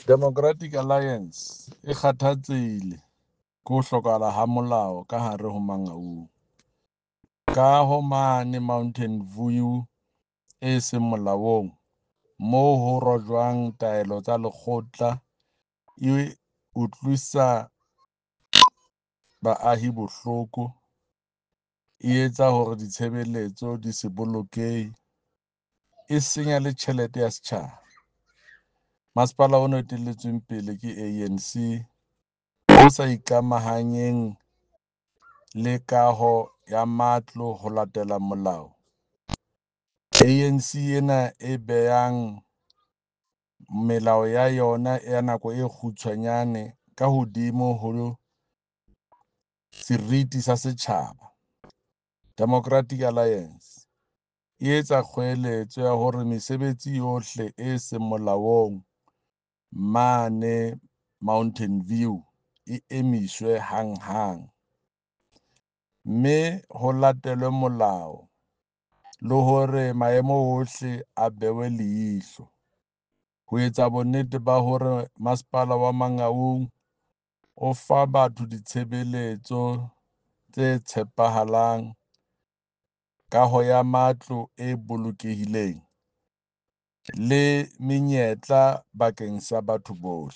Democratic Alliance e kgathatsehile ke ho hlokahala ha molao ka hare ho Mangaung. Kaho mane Mountain View e seng molaong moo ho rojwang taelo tsa lekgotla e utlwisa baahi bohloko, e etsa hore ditshebeletso di se bolokehe, e senya le tjhelete ya setjhaba. Masepala ona o etelletsweng pele ke ANC o sa ikamahanyeng le kaho ya matlo ho latela molao. ANC ena e behang melao ya yona ya nako e kgutshwanyane ka hodimo ho seriti sa setjhaba. Democratic Alliance e etsa kgoeletso ya hore mesebetsi yohle e seng molaong mane Mountain View e emiswe hanghang, mme ho latelwe molao le hore maemo ohle a bewe leihlo ho etsa bonnete ba hore masepala wa Mangaung o fa batho ditshebeletso tse tshepahalang, kaho ya matlo e bolokehileng le menyetla bakeng sa batho bohle.